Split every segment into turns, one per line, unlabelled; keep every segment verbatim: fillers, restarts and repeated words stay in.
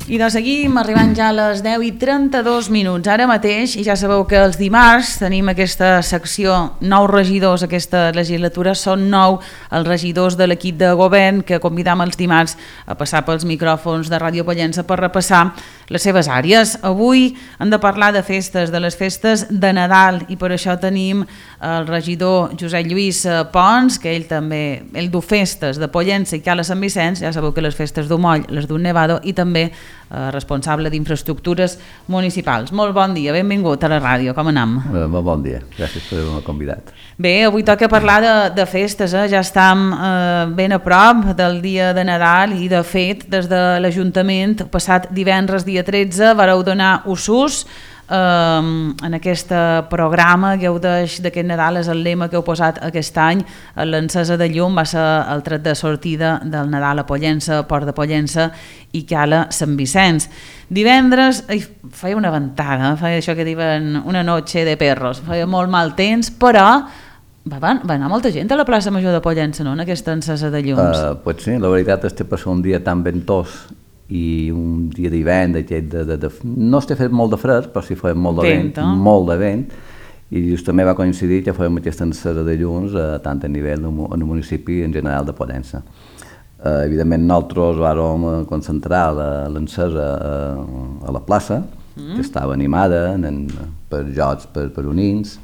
I doncs seguim arribant ja a les deu i trenta-dos minuts ara mateix, i ja sabeu que els dimarts tenim aquesta secció, nous regidors aquesta legislatura, són nou els regidors de l'equip de govern que convidam els dimarts a passar pels micròfons de Ràdio Pollença per repassar les seves àrees. Avui hem de parlar de festes, de les festes de Nadal, i per això tenim el regidor Josep Lluís Pons, que ell també, ell du festes de Pollença i Cala Sant Vicenç, ja sabeu que les festes d'Umoll, les d'un Nevado, i també eh, responsable d'infraestructures municipals. Molt bon dia, benvingut a la ràdio, com anem?
Eh, molt bon dia, gràcies per haver-me convidat.
Bé, avui toca parlar de, de festes, eh? Ja estem eh, ben a prop del dia de Nadal i de fet des de l'Ajuntament passat divendres dia tretze vareu donar usos Um, en aquest programa Gaudeix d'aquest Nadal, és el lema que heu posat aquest any. L'encesa de llum va ser el tret de sortida del Nadal a Pollença, Port de Pollença i Cala Sant Vicenç. Divendres ai, feia una ventada, feia això que diuen una noche de perros, feia molt mal temps, però va, va anar molta gent a la plaça Major de Pollença, no?, en aquesta encesa de llums.
Uh, pues sí, la veritat és que per ser un dia tan ventós i un dia d'hivern, de, de, de, no està fet molt de fred, però sí feia molt de vent, vent eh? molt de vent, i justament va coincidir que fèiem aquesta encesa de llums eh, tant a nivell en el municipi en general de Pollença. Eh, evidentment nosaltres vam concentrar l'encesa a, a la plaça, mm. que estava animada en, per jocs, per, per unins,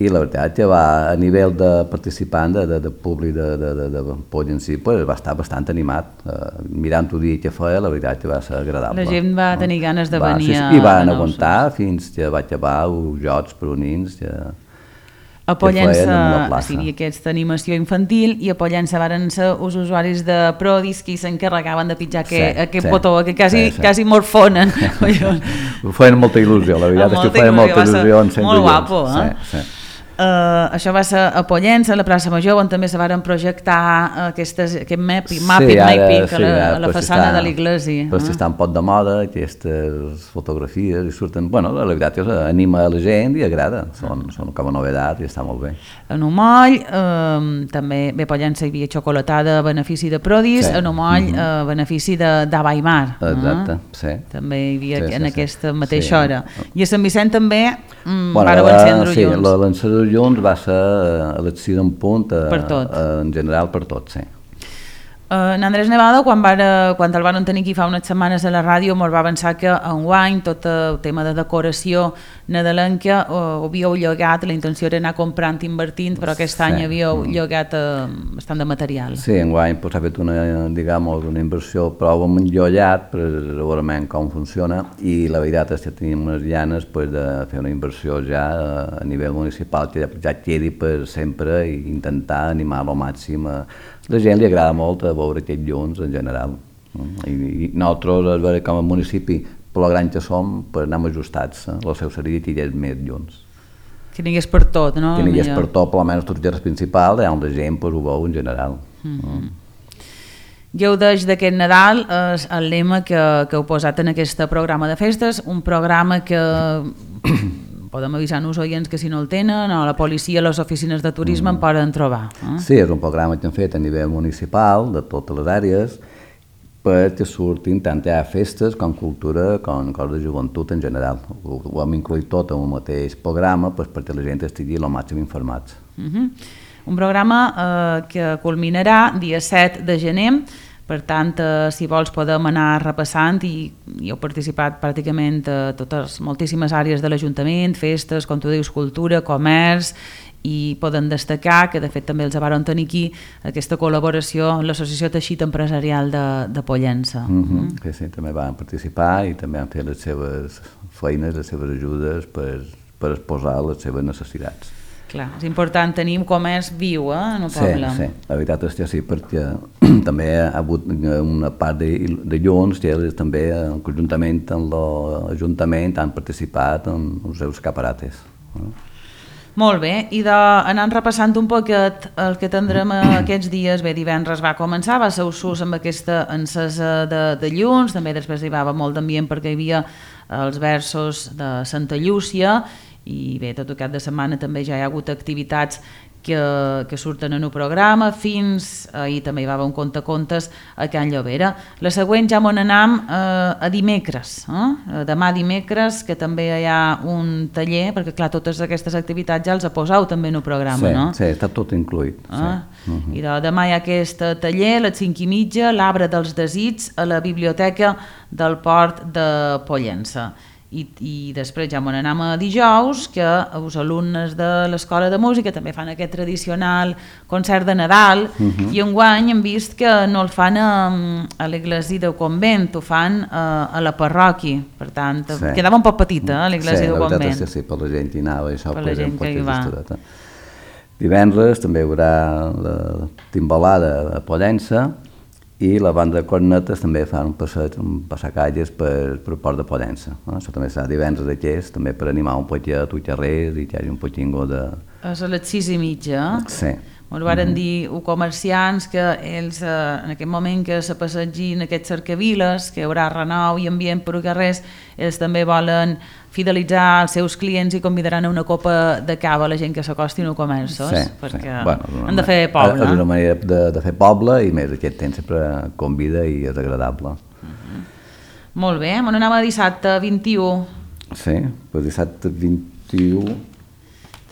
i la veritat que va, a nivell de participant, de, de, de públic de, de, de, de Pollença, pues, va estar bastant animat. Uh, mirant el dia que feia, la veritat que va ser agradable.
La gent va no? tenir ganes de va, venir
sí, sí, i van aguantar fins que va acabar els jocs per unins que,
a Pollença hi havia aquesta animació infantil, i a Pollença varen ser els usuaris de Prodis qui s'encarregaven de pitjar sí, aquest, aquest sí, botó, que quasi, sí, sí. quasi morfonen.
Feien molta il·lusió, la veritat és que feien molta il·lusió.
Molt guapo, eh?
Sí, sí.
Uh, això va ser a Pollença, a la plaça Major, on també se varen projectar aquestes, aquest mapping, mapping,
sí, ara,
mapping
sí,
a la, a la façana
està,
de l'església.
Però si està un pot de moda, aquestes fotografies, i surten, bueno, la veritat és que anima a la gent i agrada, són, són com a novedat i està molt bé.
En Umoll, eh, també, bé, a Pollença hi havia xocolatada a benefici de Prodis, sí. En Umoll, mm -hmm. a benefici d'Abaimar.
Exacte, eh? sí.
També hi havia sí, en sí, aquesta
sí.
mateixa
sí.
hora. I a Sant Vicent també mm,
bueno,
vareu encendre
sí,
llums.
L'encendre de llums va ser a les sis en punt, a,
per tot.
A, en general per tot, sí.
Uh, en Andrés Nevado, quan, va, quan el van tenir aquí fa unes setmanes a la ràdio, mos va avançar que enguany tot el tema de decoració nadalenca uh, havíeu llogat, la intenció era anar comprant i invertint, però aquest sí. any havíeu llogat uh, bastant de material.
Sí, enguany pues, s'ha fet una, digamos, una inversió prou enllollat per veure com funciona, i la veritat és que tenim unes llanes pues, de fer una inversió ja a nivell municipal que ja quedi per sempre i intentar animar al màxim a la gent. Li agrada molt a veure aquests llums en general. I, i nosaltres, a veure, com a municipi, per la gran que som, pues, anem ajustats. Eh? La seu seria que hi hagués més llums.
Que n'hi hagués per tot, no?
Que n'hi hagués per tot, per almenys tots els dies principals, on la gent pues, ho veu en general.
Mm -hmm. Gaudeix d'aquest Nadal és el lema que, que heu posat en aquest programa de festes, un programa que podem avisar-nos oients que si no el tenen, o la policia, les oficines de turisme mm. en poden trobar. Eh?
Sí, és un programa que hem fet a nivell municipal, de totes les àrees, perquè surtin tant ja festes com cultura, com coses de joventut en general. Ho, ho hem incluït tot en un mateix programa pues, perquè la gent estigui el màxim informats.
Uh -huh. Un programa eh, que culminarà dia set de gener. Per tant, eh, si vols podem anar repassant, i, i heu participat pràcticament a totes, moltíssimes àrees de l'Ajuntament, festes, com tu dius, cultura, comerç, i poden destacar que de fet també els varen tenir aquí aquesta col·laboració amb l'Associació Teixit Empresarial de, de Pollença.
Mm -hmm. mm. Sí, sí, també van participar i també han fet les seves feines, les seves ajudes per, per exposar les seves necessitats.
Clar, és important tenir un comerç viu eh, en el poble.
Sí, sí, la veritat és que sí, perquè també ha hagut una part de, de llums que ells també, conjuntament amb l'Ajuntament, han participat en els seus escaparates. Eh?
Molt bé, i anant repassant un poquet el que tindrem aquests dies, bé, divendres va començar, va ser Usús amb aquesta encesa de, de llums, també després hi va molt d'ambient perquè hi havia els versos de Santa Llúcia, i bé, tot el cap de setmana també ja hi ha hagut activitats que, que surten en el programa, fins ahir també hi va haver un contacontes a Can Llobera. La següent ja m'on anam eh, a dimecres, eh? Demà dimecres, que també hi ha un taller, perquè clar, totes aquestes activitats ja els ha posat també en el programa,
sí,
no?
Sí, està tot incluït.
Eh?
Sí. Uh -huh.
I de, demà hi ha aquest taller, a les cinc i mitja, l'Arbre dels Desits, a la biblioteca del Port de Pollença. I, i després ja m'on anem a dijous, que els alumnes de l'Escola de Música també fan aquest tradicional concert de Nadal, uh -huh. i enguany hem vist que no el fan a, a l'església del convent, ho fan a, a la parròquia, per tant, sí. Quedava un poc petita, eh, l'església
sí,
del convent.
Sí, sí, per la gent hi anava, això
per la gent que hi va.
Estudeta. Divendres també hi haurà la timbalada a Pollença, i la banda de cornetes també fan un passeig, un passacalles per, per el Port de Pollença. No? Això també serà divendres aquest, també per animar un poquet a tots carrers i que hi hagi un poquingo de...
És a les sis i mitja, eh?
Sí.
Ens varen mm-hmm. dir els comerciants que ells, eh, en aquest moment que se passegin aquests cercaviles, que hi haurà renou i ambient per els carrers, ells també volen fidelitzar els seus clients i convidaran a una copa de cava a la gent que s'acosti als comerços,
sí,
perquè
sí. Bueno,
han de fer poble.
És una manera de, de fer poble, i més aquest temps sempre convida i és agradable.
Mm-hmm. Molt bé, m'on anem a dissabte vint-i-u.
Sí, pues dissabte vint-i-u...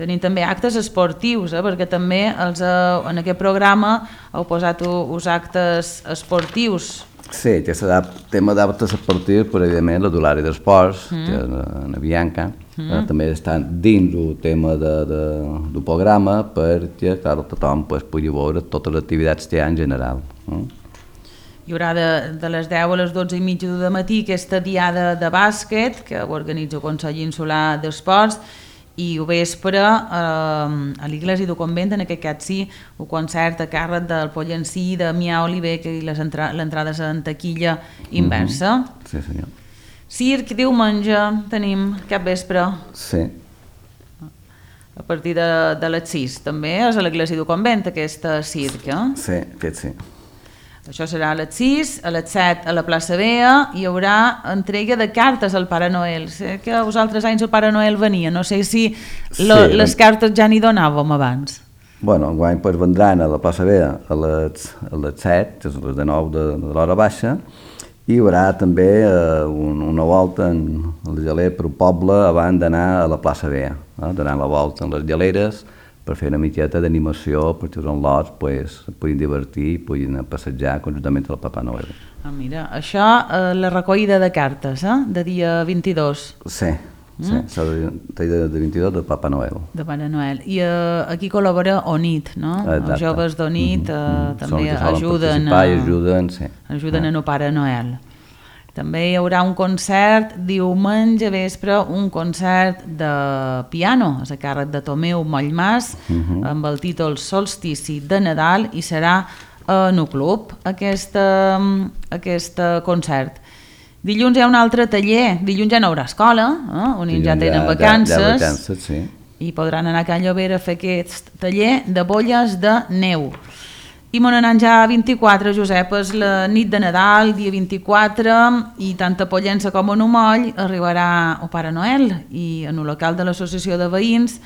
Tenim també actes esportius, eh? Perquè també els, eh, en aquest programa heu posat els actes esportius.
Sí, que serà tema d'actes esportius, però evidentment la d'Holari d'Esports, mm. que és en Bianca, mm. eh, també estan dins el tema de, de, del programa, perquè clar, tothom pues, pugui veure totes les activitats que hi ha en general. Eh?
Hi haurà de, de les deu a les dotze i mitja de matí aquesta diada de bàsquet que organitza el Consell Insular d'Esports, i ho vespre eh, a l'església del convent, en aquest cas sí, un concert a càrrec del Pollencí, de Mià Oliver, que l'entrada és en taquilla inversa.
Mm -hmm. Sí, senyor.
Circ, diumenge, tenim cap vespre.
Sí.
A partir de, de les sis, també és a l'església del convent, aquesta circ, eh?
Sí, aquest sí.
Això serà a les sis, a les set a la plaça Bea, hi haurà entrega de cartes al Pare Noel. Sé que els altres anys el Pare Noel venia, no sé si lo, sí, les cartes ja n'hi donàvem abans.
Bueno, enguany pues, vendran a la plaça Bea a les, a les set, que és a les de nou de, de l'hora baixa, i hi haurà també eh, un, una volta en el geler per un poble abans d'anar a la plaça Bea, eh? Donant la volta en les geleres, per fer una miqueta d'animació, perquè els enlots pues, puguin divertir i puguin passejar conjuntament amb el Papa Noel.
Ah, mira, això, eh, la recollida de cartes, eh? De dia vint-i-dos.
Sí, mm? sí, serà de, de vint-i-dos del Papa Noel.
De Pare Noel. I eh, aquí col·labora O N I T, no?
Exacte.
Els joves d'O N I T eh, mm-hmm. també ajuden,
a, ajuden, sí.
ajuden en el Pare Noel. També hi haurà un concert diumenge vespre, un concert de piano, és a càrrec de Tomeu Mollmàs, uh-huh. amb el títol Solstici de Nadal, i serà en el club aquest, aquest concert. Dilluns hi ha un altre taller, dilluns ja no hi haurà escola, eh? On dilluns ja tenen vacances,
ja, ja vacances sí.
I podran anar a Can Llobera a fer aquest taller de bolles de neu. I m'on anant ja a vint-i-quatre, Josep, és la nit de Nadal, dia vint-i-quatre, i tant a Pollença com a Numoll arribarà el Pare Noel, i en el local de l'Associació de Veïns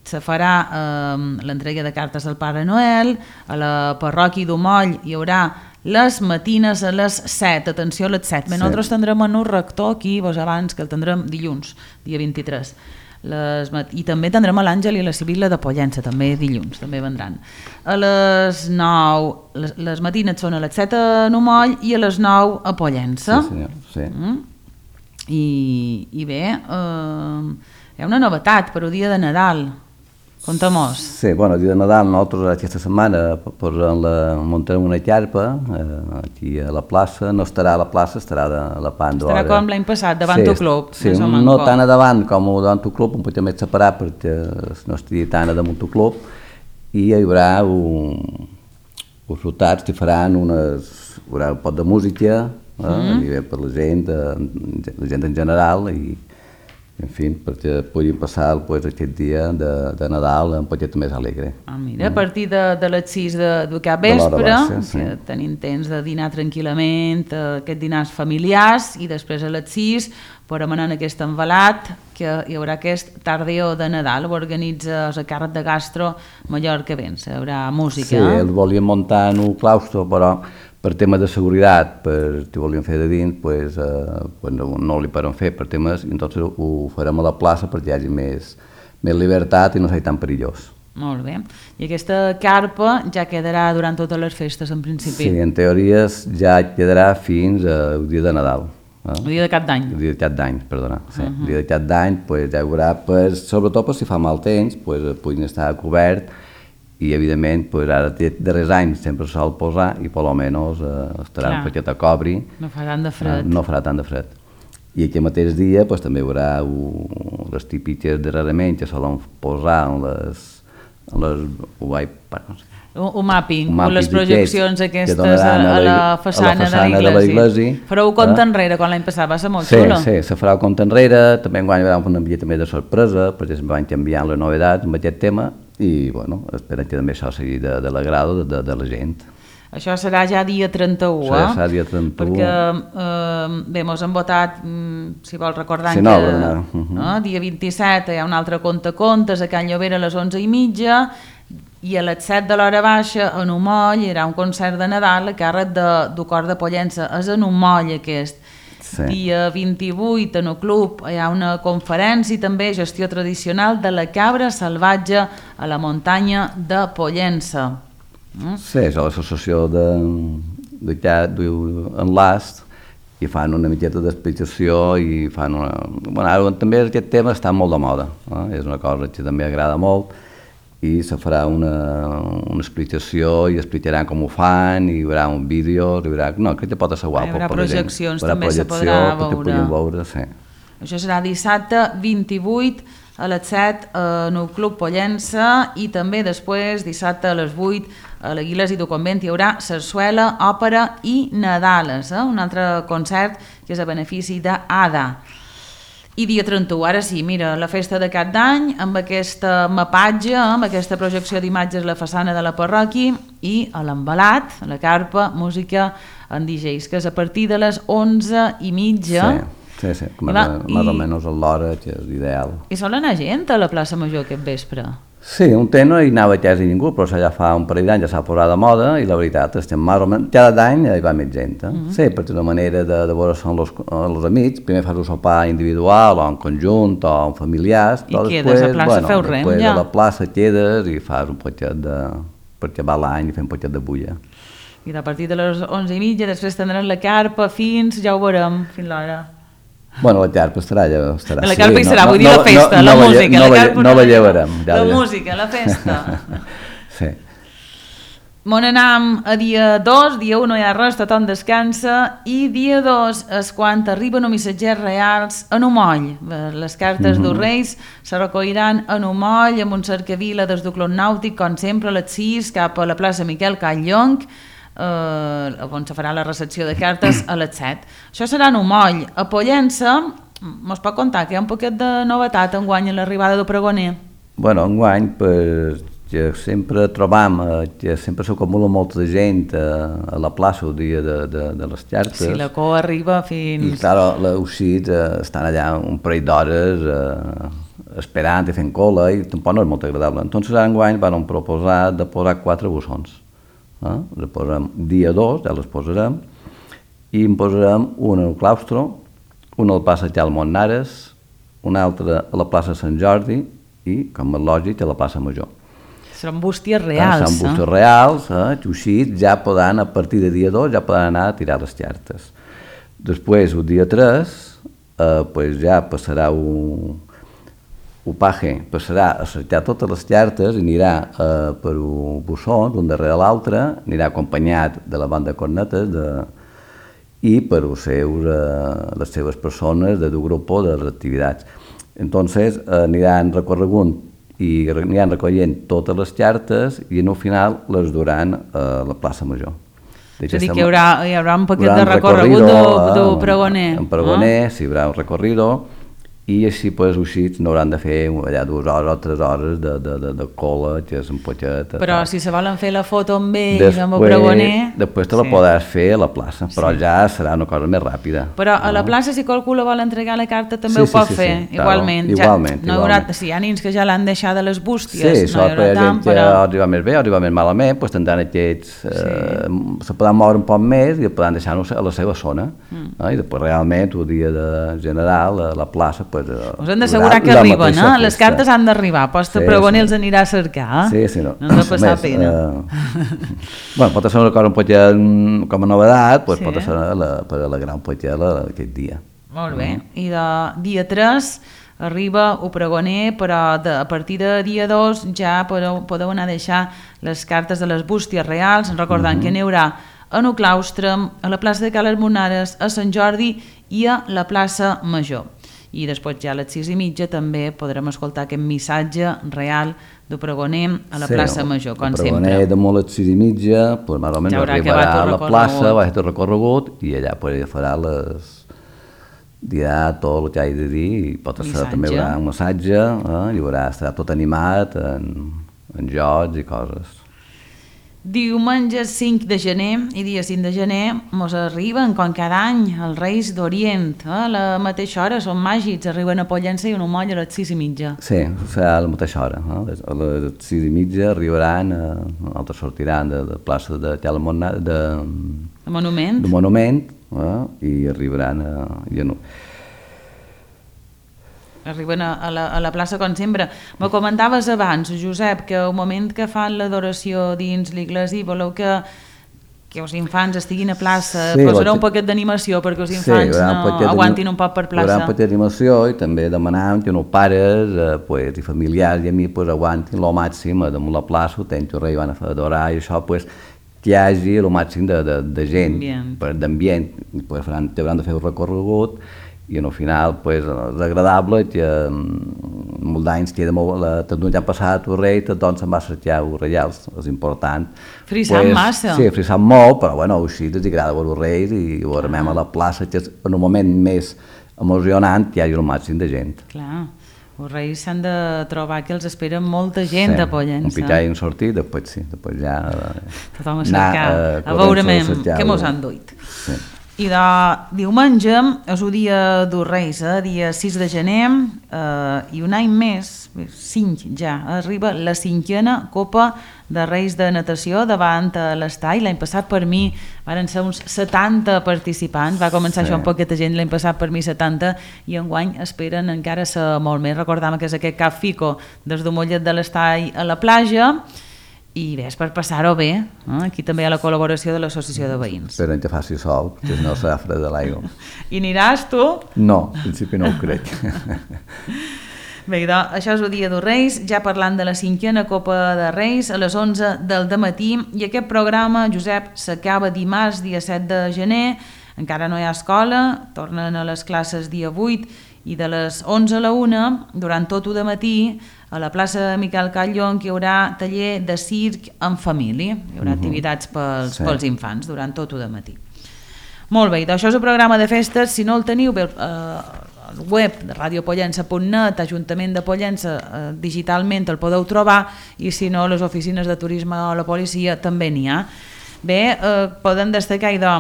se farà eh, l'entrega de cartes al Pare Noel. A la parròquia d'Umoll hi haurà les matines a les set, atenció a les set. Bé, sí. Nosaltres tindrem en un rector aquí, vos abans, que el tindrem dilluns, dia vint-i-tres. Les, i també tindrem a l'Àngel i la Sibil·la de Pollença, també dilluns, també vendran. A les nou, les, les matines són a les set a Numoll i a les nou a Pollença.
Sí, senyor, sí.
Mm? I, i bé, eh, hi ha una novetat per el dia de Nadal. Conta-mos.
Sí, bueno, el dia de Nadal nosaltres aquesta setmana posem la, muntarem una xarpa eh, aquí a la plaça, no estarà a la plaça, estarà de, a la pan d'hora.
Estarà com l'any passat, davant
sí,
el club.
Sí, no, no tant a davant com davant el club, un poc més separat perquè no estigui tant a damunt el club, i hi haurà un, uns rotats que faran unes, hi haurà un pot de música, eh, mm. per la gent, la gent en general, i en fi, perquè puguin passar pues, aquest dia de, de Nadal un poquet més alegre.
Ah, mira, mm. a partir de, de les sis de, de cap vespre, baixa, sí. Tenim temps de dinar tranquil·lament, aquests dinars familiars, i després a les sis podem anar en aquest envelat que hi haurà aquest tardeo de Nadal, ho organitza la càrrec de Gastro Mallorca Vents, hi haurà música.
Sí, els volien muntar en un claustro, però per temes de seguretat, per si volien fer de dins, pues, eh, pues no, no li poden fer per temes, i entonces ho farem a la plaça perquè hi hagi més, més llibertat i no sigui tan perillós.
Molt bé. I aquesta carpa ja quedarà durant totes les festes, en principi?
Sí, en teoria ja quedarà fins al dia de Nadal. Eh?
El dia de cap d'any.
El dia de cap d'any, perdona. Sí. Uh -huh. El dia de cap d'any pues, ja hi haurà, pues, sobretot pues, si fa mal temps, pues, puguin estar cobert i, evidentment, pues, ara de darrers anys sempre se sol posar i, per almenys, eh, estarà Clar. un paquet a cobri.
No farà tant de fred.
Eh, no farà tant de fred. I aquell mateix dia pues, també hi haurà uh, les típiques darrerament que solen posar en les les, no sé.
un, un mapping, un mapping les projeccions aquestes a, a la façana, a la façana de l'església. Fareu compte enrere, quan l'any passat va ser molt
sí,
xulo.
Sí, se farà compte enrere, també enguany hi haurà un ambient també de sorpresa, perquè es van canviant les novetats amb aquest tema i bueno, esperem que també això sigui de, de l'agrado de, de, de la gent.
Això serà ja dia trenta-u,
sí, eh? Serà dia trenta-u.
Perquè, eh, bé, mos han votat, si vols recordar,
sí,
que
no, no. Uh -huh.
eh, dia vint-i-set hi ha un altre conte contes a Can Llobera a les onze i mitja i a les set de l'hora baixa en un moll hi haurà un concert de Nadal a càrrec de, del cor de Pollença. És en un moll aquest. Sí. Dia vint-i-vuit en el club hi ha una conferència també, gestió tradicional de la cabra salvatge a la muntanya de Pollença.
Sí, és l'associació d'Enlast i fan una miqueta d'explicació i fan una... Bueno, ara també aquest tema està molt de moda, eh? És una cosa que també agrada molt i se farà una, una explicació i explicaran com ho fan i hi haurà un vídeo, hi haurà... No, crec que pot ser guapo.
Hi haurà projeccions, també se podrà veure.
veure sí.
Això serà dissabte vint-i-vuit a les set en el Club Pollença i també després, dissabte a les vuit, a l'Aguiles i del Convent hi haurà sarsuela, òpera i Nadales, eh? Un altre concert que és a benefici d'Ada. I dia trenta-u, ara sí, mira, la festa de cap d'any amb aquesta mapatge, amb aquesta projecció d'imatges a la façana de la parròquia i a l'embalat, a la carpa, música en D Js, que és a partir de les onze i mitja.
Sí. Sí, sí, més, va, més i, o menys a l'hora, que és ideal.
I sol anar gent a la plaça Major aquest vespre?
Sí, un temps no hi anava quasi ningú, però ja fa un parell d'anys ja s'ha posat de moda i la veritat és que més o menys cada any hi va més gent. Eh? Mm -hmm. Sí, perquè una manera de, de veure són els, els amics, primer fas un sopar individual o en conjunt o en familiars,
i quedes després, a la plaça, bueno, feu rem
després
ja.
A la plaça quedes i fas un poquet de... perquè va l'any i fem un poquet de bulla.
I a partir de les onze i mitja després tindran la carpa fins, ja ho veurem, fins l'hora.
Bueno, la carpa estarà, ja estarà.
La carpa hi serà,
no,
vull dir
no,
la festa,
no,
la
no,
música.
No,
la carpa
no la llevarem.
Ja, la ja. música, la festa.
Sí.
Mon anam a dia dos, dia u no hi ha res, tothom descansa, i dia dos és quan arriben els missatgers reals en un moll. Les cartes mm -hmm. dels Reis se recolliran en un moll amb un cercavila des del Club Nàutic, com sempre, a les sis, cap a la plaça Miquel Call-Llong, eh, on se farà la recepció de cartes a les set. Això serà en un moll. A Pollença, mos pot contar que hi ha un poquet de novetat enguany a l'arribada del pregoner?
Bueno, enguany, pues, que sempre trobam eh, que sempre s'acumula molta gent eh, a la plaça el dia de, de, de les xarxes.
Sí, la cua arriba fins...
I, clar, els ossits eh, estan allà un parell d'hores eh, esperant i fent cola i tampoc no és molt agradable. Entonces, enguany van proposar de posar quatre bussons. Eh? Les posarem dia dos, ja les posarem, i en posarem un al claustro, un al passeig al Montnares, un altre a la plaça Sant Jordi i, com és lògic, a la plaça Major.
Seran bústies reals,
eh? Seran bústies eh? reals, eh? Xuxits, ja poden, a partir de dia dos, ja poden anar a tirar les xartes. Després, el dia tres, eh, pues ja passarà un... el paje passarà a cercar totes les xartes i anirà eh, per un bussó, d'un darrere l'altre, anirà acompanyat de la banda de cornetes de... i per els seus, eh, les seves persones de dur grup de les activitats. Entonces, eh, aniran recorregut i aniran recollint totes les xartes i en el final les duran a la plaça Major.
És a dir, que hi haurà, hi haurà un paquet de recorregut del pregoner.
En pregoner, ah? Sí, hi haurà un recorrido i així pues, així no hauran de fer allà dues hores o tres hores de, de, de, de cola, que és un potxet.
Però tal. Si se volen fer la foto amb ells, amb el pregoner...
Després te la sí. podràs fer a la plaça, però sí. ja serà una cosa més ràpida.
Però a la plaça, si qualcú la vol entregar la carta, també
sí,
ho pot
sí, sí,
fer,
sí,
igualment.
Claro, igualment,
ja, no
igualment.
Haurà, si hi ha nins que ja l'han deixat de les bústies,
sí,
no hi haurà tant,
però...
però...
Sí, arriba més bé o arriba més malament, doncs tindran aquests... Eh, sí. Se poden moure un poc més i poden deixar-ho a la seva zona. Mm. Eh? I després realment, el dia de general, a la plaça, doncs...
Us hem d'assegurar que arriben, eh? Les cartes han d'arribar, posta sí, pregoner sí. els anirà a cercar, eh?
Sí, sí, no.
No ens ha passat més, pena.
Eh... bueno, pot ser una cosa un potxet com a novedat, doncs sí. pot ser la, per alegrar un potxet aquest dia.
Molt bé, mm. i de dia tres arriba el pregoner, però de, a partir de dia dos ja podeu, podeu anar a deixar les cartes de les bústies reals, recordant mm-hmm. que n'hi haurà a el claustre, a la plaça de Cales Monares, a Sant Jordi i a la plaça Major. I després ja a les sis i mitja també podrem escoltar aquest missatge real del pregoner a la sí, plaça Major, com sempre.
El pregoner de molt a les sis i mitja, pues, més o menys ja arribarà a la plaça, va fer el recorregut i allà pues, farà les... dirà tot el que ha de dir i pot ser també hi haurà un massatge, eh? I haurà, estarà tot animat en, en jocs i coses.
Diumenge cinc de gener i dia cinc de gener mos arriben, com cada any, els Reis d'Orient. Eh? A la mateixa hora són màgics, arriben a Pollença i un moll a les sis i mitja.
Sí, serà a la mateixa hora. Eh? A les sis i mitja arribaran, eh, altres sortiran de la plaça de Calamona, de,
de Monument,
de Monument eh? I arribaran a... Ja no.
Arriben a, a, la, a la plaça com sempre. Me comentaves abans, Josep, que al moment que fan l'adoració dins l'església voleu que, que els infants estiguin a plaça, sí, posarà un poquet d'animació perquè els infants sí, no aguantin un poc per plaça.
Hi haurà un poquet d'animació i també demanàvem que els pares eh, pues, i familiars i amics pues, aguantin el màxim damunt la plaça, el temps que rei van a fer adorar i això pues, que hi hagi el màxim de, de, de gent, d'ambient, pues, hauran de fer un recorregut i al final pues, és agradable que molts d'anys queda molt, la tecnologia ha passat el rei, tothom se'n va cercar els reials, és important.
Frisant pues, massa.
Sí, frisant molt, però bueno, així els agrada veure els reis i ho veurem a la plaça, que és en un moment més emocionant que hi hagi el màxim de gent.
Clar, els reis s'han de trobar que els esperen molta gent sí, a Pollença.
Un pitall i un sortit, després sí, després ja...
Tothom a cercar, anar, a veure què mos han duit.
Sí.
I de diumenge és el dia dels Reis, eh? Dia sis de gener, eh, i un any més, cinc ja, arriba la cinquena Copa de Reis de Natació davant l'Estall. L'any passat per mi van ser uns setanta participants, va començar sí. això amb poqueta gent, l'any passat per mi setanta, i enguany esperen encara ser molt més. Recordam que és aquest Cap Fico des de Mollet de l'Estall a la platja, i bé, és per passar-ho bé. Eh? Aquí també hi ha la col·laboració de l'associació de veïns.
Esperen que faci sol, que no serà fred de l'aigua.
I aniràs tu?
No, en principi no ho crec.
Bé, doncs, això és el dia dels Reis, ja parlant de la cinquena Copa de Reis, a les onze del dematí, i aquest programa, Josep, s'acaba dimarts, dia set de gener, encara no hi ha escola, tornen a les classes dia vuit, i de les onze a la una, durant tot el dematí, a la plaça Miquel Catllon, hi haurà taller de circ en família. Hi haurà uh-huh. activitats pels, sí. pels infants durant tot el dematí. Molt bé, això és el programa de festes. Si no el teniu, bé, eh, el web de radio pollença punt net, Ajuntament de Pollença, eh, digitalment el podeu trobar, i si no, les oficines de turisme o la policia també n'hi ha. Bé, eh, podem destacar, idò,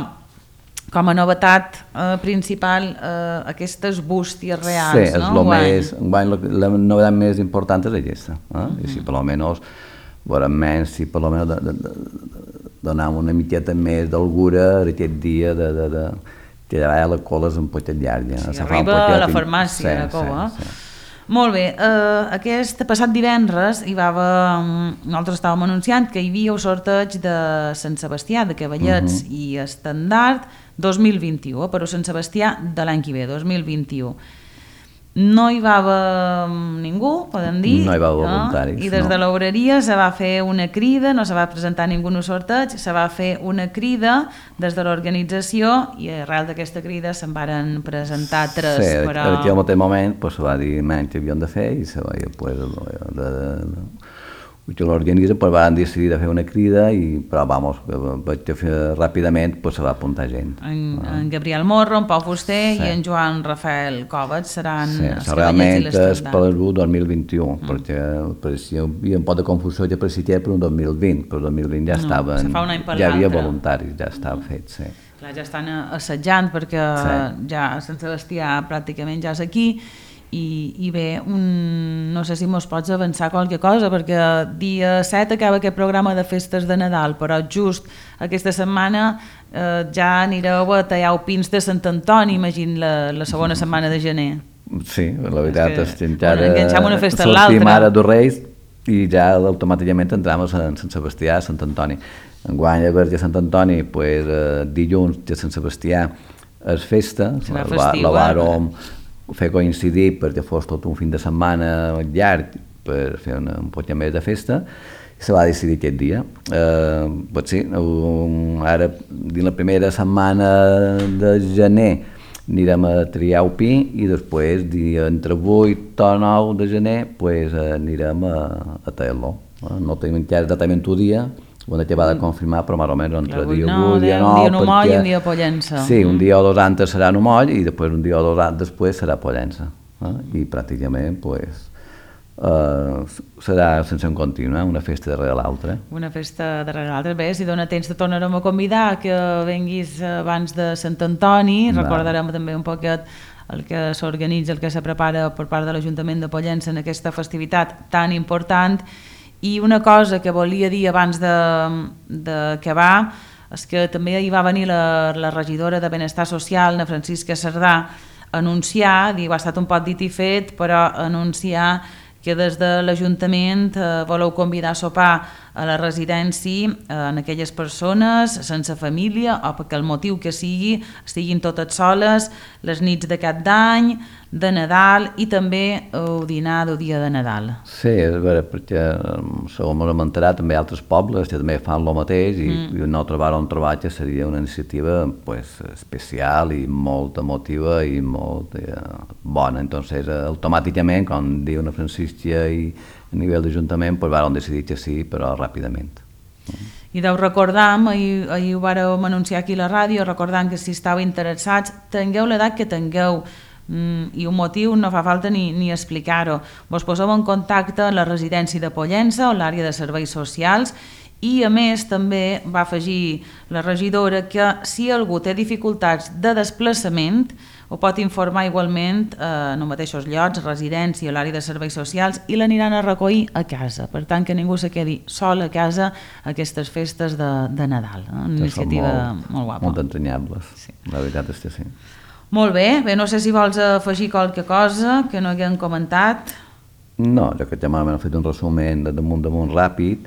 com a novetat eh, principal, eh, aquestes bústies reals,
sí, és
no?
Més, la, la novetat més important és aquesta. Eh? Mm-hmm. I si per almenys, menys, si per almenys de, de, de, donar una miqueta més d'algura aquest dia de, de, de, que ja la cola és un poquet llarga.
Sí, arriba a la farmàcia, sí, la cova. Sí, sí. Molt bé, eh, aquest passat divendres hi va haver, nosaltres estàvem anunciant que hi havia el sorteig de Sant Sebastià, de Cavallets uh-huh. i Estendard dos mil vint-i-u, però Sant Sebastià de l'any que ve, dos mil vint-i-u. No hi va haver ningú, podem dir.
No hi va haver voluntaris.
No? I des
no.
de l'obreria se va fer una crida, no se va presentar ningú en el sorteig, se va fer una crida des de l'organització i arrel d'aquesta crida se'n varen presentar tres.
Sí,
però...
en aquell moment pues, se va dir menys que havien de fer i se va dir pues, de, de, de, que l'organitza, pues van decidir de fer una crida, i, però vamos, veig que ràpidament pues, se va apuntar gent.
En, ah. en Gabriel Morro, en Pau Fuster sí. i en Joan Rafael Covax seran
sí,
els
realment és per el dos mil vint-i-u, mm. perquè per si hi havia un pot de confusió que per si per un dos mil vint, però el dos mil vint ja
no,
estaven,
ja
hi havia voluntaris, ja estava mm. fet, sí.
Clar, ja estan assetjant perquè sí. ja Sant Sebastià pràcticament ja és aquí. I, i bé, un, no sé si mos pots avançar qualque cosa, perquè dia set acaba aquest programa de festes de Nadal, però just aquesta setmana eh, ja anireu a tallar pins de Sant Antoni, imagino la, la segona setmana de gener.
Sí, la veritat és que encara
enganxem una festa a l'altra.
Sortim ara dos Reis i ja automàticament entrem a Sant Sebastià, a Sant Antoni. Enguany a veure Sant Antoni, pues, eh, dilluns de Sant Sebastià és festa,
serà festiu,
la vàrem fer coincidir perquè fos tot un fin de setmana llarg per fer una, un poc més de festa, i se va decidir aquest dia. Eh, pues sí, um, ara, dins la primera setmana de gener, anirem a triar el pi i després, dia entre vuit o nou de gener, pues, anirem a, a tallar-lo. No tenim encara exactament un dia, on que va de confirmar, però més o menys entre dia vuit, dia nou...
Un dia no moll i un dia Pollença.
Sí, un dia o dos antes serà no moll i després un dia o dos antes després serà Pollença. Eh? I pràcticament, pues, uh, serà sense un continu, eh? Una festa darrere l'altra.
Una festa darrere l'altra. Bé, si dona temps te tornarem a convidar que venguis abans de Sant Antoni, no. Recordarem també un poquet el que s'organitza, el que se prepara per part de l'Ajuntament de Pollença en aquesta festivitat tan important. I una cosa que volia dir abans d'acabar és que també hi va venir la, la regidora de Benestar Social, la Francisca Cerdà, a anunciar, diu, ha estat un poc dit i fet, però anunciar que des de l'Ajuntament eh, voleu convidar a sopar a la residència eh, en aquelles persones sense família o perquè el motiu que sigui estiguin totes soles les nits d'aquest d'any, de Nadal i també el dinar del dia de Nadal.
Sí, és vera, perquè segons m'hem enterat també altres pobles que també fan el mateix i, mm. i nosaltres vàrem trobar que seria una iniciativa pues, especial i molt emotiva i molt eh, bona. Entonces, eh, automàticament, com diu una Francisca i a nivell d'Ajuntament, pues, vàrem decidir que sí, però ràpidament. Mm.
I deu recordar, ahir, ahir ho vàrem anunciar aquí a la ràdio, recordant que si estàu interessats, tingueu l'edat que tingueu, Mm, i un motiu no fa falta ni, ni explicar-ho. Vos poseu en contacte a la residència de Pollença o l'àrea de serveis socials i a més també va afegir la regidora que si algú té dificultats de desplaçament ho pot informar igualment eh, en els mateixos llocs, residència o l'àrea de serveis socials i l'aniran a recollir a casa. Per tant que ningú se quedi sol a casa a aquestes festes de, de Nadal. Eh? Una iniciativa molt, molt guapa.
Molt entranyables, sí. La veritat és que sí.
Molt bé, bé, no sé si vols afegir qualque cosa que no haguem comentat.
No, jo que ja m'han fet un resument de damunt damunt ràpid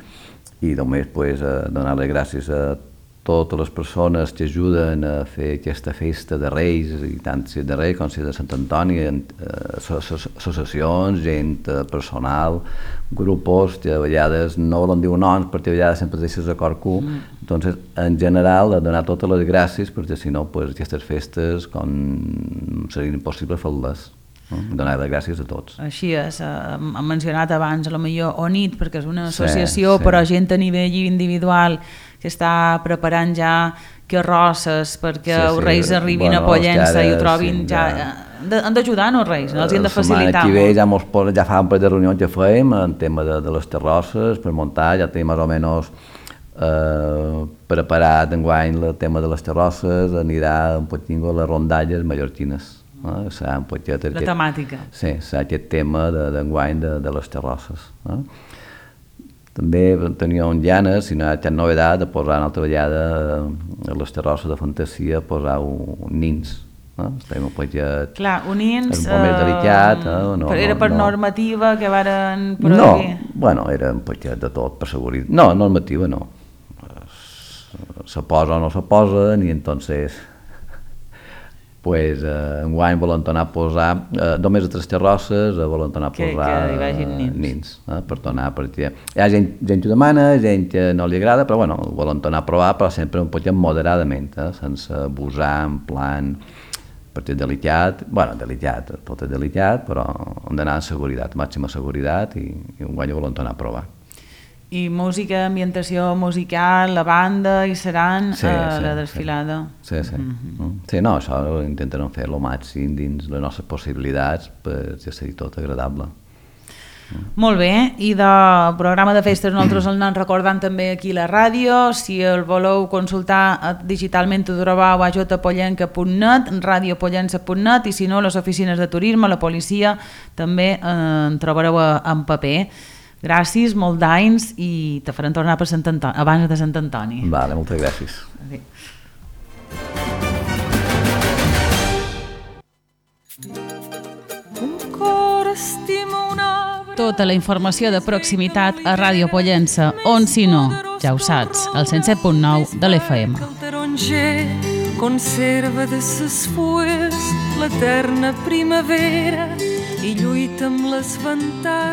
i només pues, donar les gràcies a totes les persones que ajuden a fer aquesta festa de Reis, i tant si de Reis com si de Sant Antoni, associacions, gent personal, grupos que a vegades no volen dir noms perquè a vegades sempre deixes a cor cul. Mm. Entonces, en general, donar totes les gràcies perquè si no, pues, aquestes festes com serien impossible fer-les. Donar les gràcies a tots.
Així és, hem mencionat abans a lo millor O N I T perquè és una associació, sí, sí. Però gent a nivell individual que està preparant ja carrosses perquè sí, sí. els Reis arribin bueno, a Pollença ara, i ho trobin sí, ja... ja... Han d'ajudar, no, Reis? No els han de facilitar.
Aquí ve, ja, mos, ja fa un parell de reunions que fèiem en tema de, de les terrosses per muntar, ja tenim més o menys eh, preparat enguany el tema de les terrosses, anirà un poquet a les rondalles mallorquines. Eh? Serà un poquet
la aquest, temàtica.
Sí, serà aquest tema d'enguany de, de, de les terrosses. Eh? També tenia un llanes, si no hi ha cap novetat, de posar una altra vegada a les terrosses de fantasia, posar un nins. Eh? Estem un poquet...
Clar, un nins...
Un poc més delicat. Eh? No,
era per
no,
normativa que varen prohibir?
No, bueno, era un poquet de tot, per seguretat. No, normativa no. Se posa o no se posa, ni entonces... pues, eh, enguany volen tornar a posar eh, només a tres terrosses, eh, volen tornar a posar
que, que hi nins,
nins eh, per tornar, perquè hi ha gent, gent que ho demana, gent que no li agrada, però bueno, volen tornar a provar, però sempre un poc moderadament, eh, sense abusar, en plan, perquè és delicat, bueno, delicat, tot és delicat, però hem d'anar amb seguretat, màxima seguretat, i, i enguany ho volen tornar a provar.
I música, ambientació musical, la banda, i seran
sí,
a
sí,
la desfilada.
Sí, sí. Mm-hmm. Sí, no, això ho intentarem fer el màxim dins les nostres possibilitats per ja ser tot agradable.
Molt bé, i de programa de festes nosaltres el anem recordant també aquí a la ràdio. Si el voleu consultar digitalment ho trobeu a jpollenca punt net, radiopollença punt net, i si no, les oficines de turisme, la policia, també eh, en trobareu en paper. Gràcies, molt d'anys, i te farem tornar per Sant Antoni, abans de Sant Antoni.
Vale, moltes gràcies.
Adéu. Tota la informació de proximitat a Ràdio Pollença, on si no, ja ho saps, al cent set punt nou de l'F M.
El taronger conserva de ses fulles l'eterna primavera i lluita amb les ventades